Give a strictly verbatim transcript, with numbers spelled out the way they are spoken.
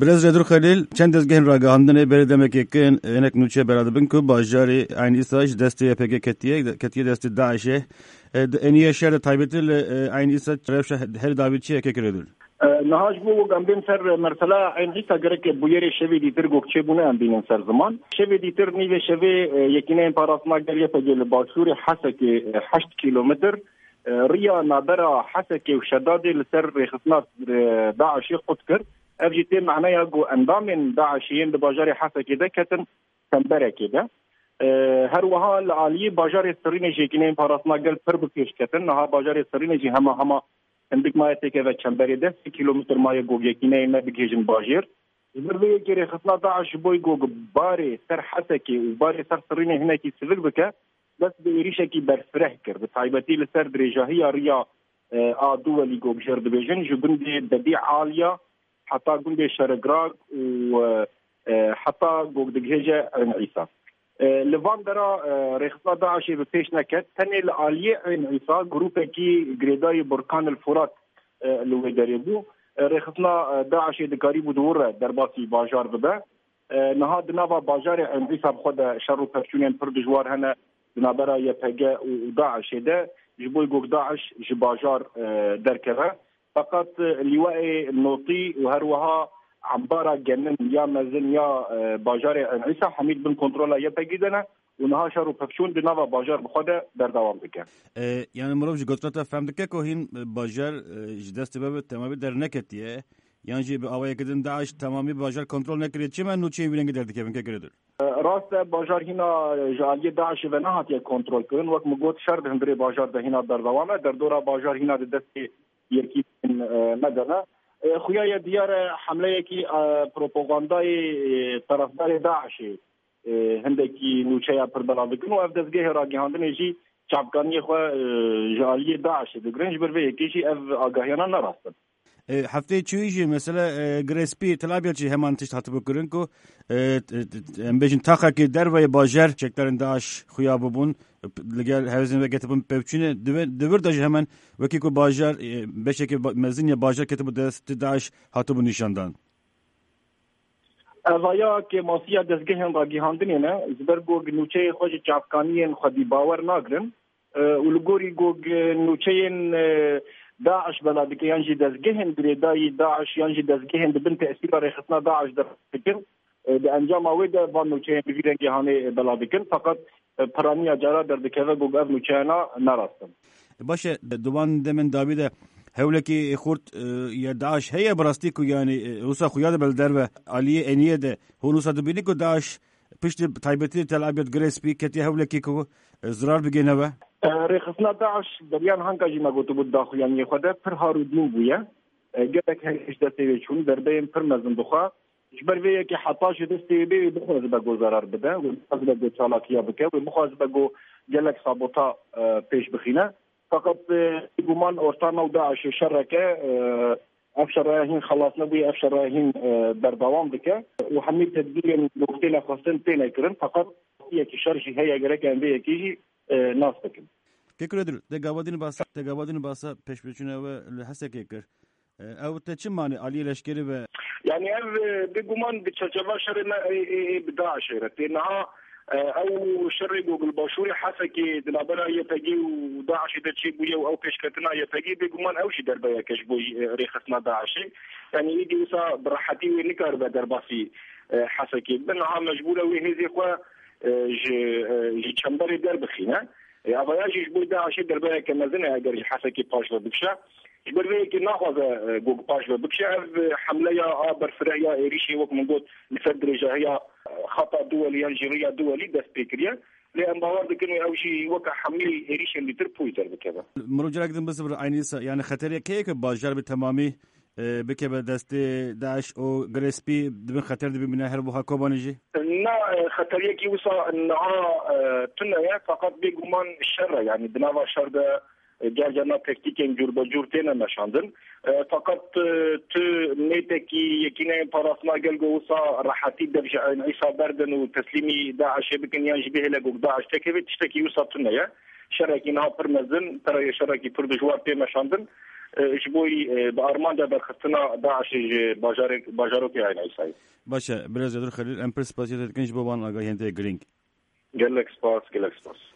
Birêz Redur Xelîl, çend dezgehên ragihandinê berê demekê kin hinek nûçe bela dibin ku bajarê Eyn Îsa ji destê Y P G ketiye, ketiye destê DAIŞ'ê. E, di êniye şer de taybetî li, e, Eyn Îsa rewşa herî dawî çi ye, kek Redur? E, niha ji bo ku em bên ser mesela Eyn Îsa gerek bûyerê şevê dîtir gok çêbûne em bînin ser ziman. Şevê dîtir nîvê şevê, e, yekîneyên parastina gel Y P G li başûrê Hesekê, e, heşt kîlometr, e, riya navbera Hesekê û Şedadê li ser rêxistina, e, DAIŞ'ê qut kir. Ev jî tê meneya ku endamên DAIŞ'ê yên di bajarê Hesekê de ketin çemberekê de. E, her wiha li aliyê bajarê Sirînê jî yekîneyên parastina gel pir bi pêş ketin. Niha bajarê Sirînê jî hema hema hindik maye têkeve çemberê de, sê kîlometr maye ku yekîneyên me bigihêjin bajêr. Ji ber vê yekê rêxistina DAIŞ ji bo ku barê ser Hesekê û barê ser Sirînê hinekî sivik bike, dest bi êrîşekî berfireh kir. Bi taybetî li ser dirêjahiya riya, e, a Duwelî ku jêr dibêjin, ji gundê Dedî Aliya heta gundê Şeregrag û, e, e, heta ku digihêje Eyn Îsa. E, li van dera, e, rêxistina DAIŞ'ê bi pêş neket, tenê li aliyê Eyn Îsa grûpekî girêdayî Burkan el Furat, e, li wê derê bû. E, rêxistina, e, DAIŞ'ê dikarîbû di wir re derbasî bajar bibe. E, niha di nava bajarê Eyn Îsa bi xwe de şer û pevçûnên pir dijwar hene di navbera Y P G û, û DAIŞ'ê de, ji bo ku DAIŞ ji bajar, e, derkeve. Feqet, e, lîwayê notî û her wiha embara genim ya mezin ya, e, bajarê Eyn Îsa hemî di bin kontrola Y P G de ne û niha şer û pevçûn di nava bajar bi xwe de berdewam dike. E, yani mirov ji gotina te fehm dike ku hîn, e, bajar, e, ji destê we bi temamî derneketiye, yan jî bi awayekî din DAIŞ temamî bajar kontrol nekiriye. Çima nûçeyên vî rengî derdikevin, kek Redur? E, rast e, bajar hîna ji aliyê DAIŞ'ê ve nehatiye kontrolkirin. Wek min got, şer di hundirê bajar de hîna berdewam e. Derdora bajar hîna di destê yekî, e, me de ne. E, xuya ye diyar e, hemleyekî, e, propagandayê, e, terefdarê DAIŞ'ê, e, hindekî nûçeya pir belav dikin û ev dezgehê ragihandinê jî çavkaniyê xwe, e, ji aliyê DAIŞ'ê digirin. Ji ber vê yekê jî ev agahiyana ne rast in. E, hefteyê çûyî jî mesela, e, Girê Spî, Tel Abyad jî heman tişt hatibû kirin ku, e, t-, t-, em bêjin taxekî derveyê bajar çekdarên DAIŞ xuya bûbûn, e, p-, li gel hevzên ve ketibûn pevçûnê. Di vir, di vir de jî hemen wekî ku bajar, e, beşekî ba-, mezin ya bajar ketibû dest DAIŞ hatibû nîşandan. Evaya kêmasiya dezgehên ragihandinê ne, ji ber ku nûçeyê xwe ji çavkaniyên xwedî bawer nagirin, e, û li gorî ku nûçeyên, e, DAIŞ bela dike, yan jî dezgehên girêdayî DAIŞ, yan jî dezgehên di bin tesîra rêxistina DAIŞ de dikin, e, di encama wê de van nûçeyên bi vî rengê hanê bela dikin. Feqet, e, piraniya cara derdikeve ku ev nûçeyana ne rast in. Baş e, di wan demên dawî de hewlekî xurt, e, ya DAIŞ heye bi rastî ku, yanî, e, wisa xuya dibe li derve aliyê êniyê de, hûn wisa dibînin ku DAIŞ piştî taybetî Tel Abyad Girê Spî ketiye hewlekî ku, e, zirar bigihîne we? E, rêxistina DAIŞ beriya niha jî me gotibû di daxuyaniyê xwe de pir har û dîn bûye. E, gelek her ji destê wê çûn, derbeyên pir mezin dixwe. Ji ber vê yekê heta ji destê wê bê wê bixwazibe ku zarar bide, wê bixwazibe ku çalakiya bike, wê bixwazibe ku gelek sabota, e, pêş bixîne. Feqet, e, bêguman orta nav DAIŞ'ê şereke, e, ev şeraya hîn xelas nebûye, ev şeraya hîn, e, berdewam dike û hemî tedbîrên ku têne xwestin têne kirin. Feqet yekî şer jî heye, gerek em vê yekê jî, e, nas bikin. Kek Redur, te gava din basa, te gava din basa pêşveçûna we li Hesekê kir. E, ew te çi manî aliyê leşkerî ve? Yani ev, e, bêguman di çerçeva şerê me ê, ê, ê bi DAIŞ'ê re tê. Niha, e, ew şerê ku li başûrê Hesekê di navbera Y P G û DAIŞ'ê de çêbûye û ew pêşketina Y P G, bêguman ew jî derbeyeke ji bo, e, rêxistina DAIŞ'ê. Yani êdî wisa bi rehetî wê nikaribe derbasî, e, Hesekê bibe. Niha mecbûr e wê hêzê xwe, e, ji, e, ji çemberê derbixîne. E, avaya jî ji bo DAIŞ'ê derbeyeke mezin e eger ji Hesekê paş ve bikişe. Ji ber vê yekê naxwaze, e, ku paş ve bikişe. Ev, e, hemleya a berfireh ya êrîşê, wek min got, li ser dirêjahiya, e, xata Duwelî yan jî riya Duwelî dest pê kiriye. Lê em bawer dikin ew jî weke hemî êrîşên dîtir pûyî derdikeve. Mirov carek din bizibire, Eyn Îsa, yani xeteriyek heye ku bajar bi temamî, e, bikeve destê DAIŞ û Girê Spî di bin xeter de bimîne, her wiha Kobanê jî? Na, e, xeteriyekî wisa niha, e, tune ye, feqet bêguman şer e, yani di nava şer de, e, car carna tektîkên cûrbecûr têne meşandin. E, feqet, e, tu nêtekî yekîneyên parastina gel ku wisa rehetî dev ji Eyn Îsa berdin û teslîmî DAIŞ'ê bikin yan jî bihêle ku DAIŞ tekevê, tiştekî wisa tune ye. Şerekî niha pir mezin, pereyê şerekî pir dijwar tê meşandin. e, ji bo, e, bi armanca derxistina DAIŞê ji bajarek-, bajarokê Eyn Îsayê. Baş e, birêz Cedur Xelîl, em pir spasiyê te dikin ji bo van agahiyên te girîng. Gelek spas, gelek spas.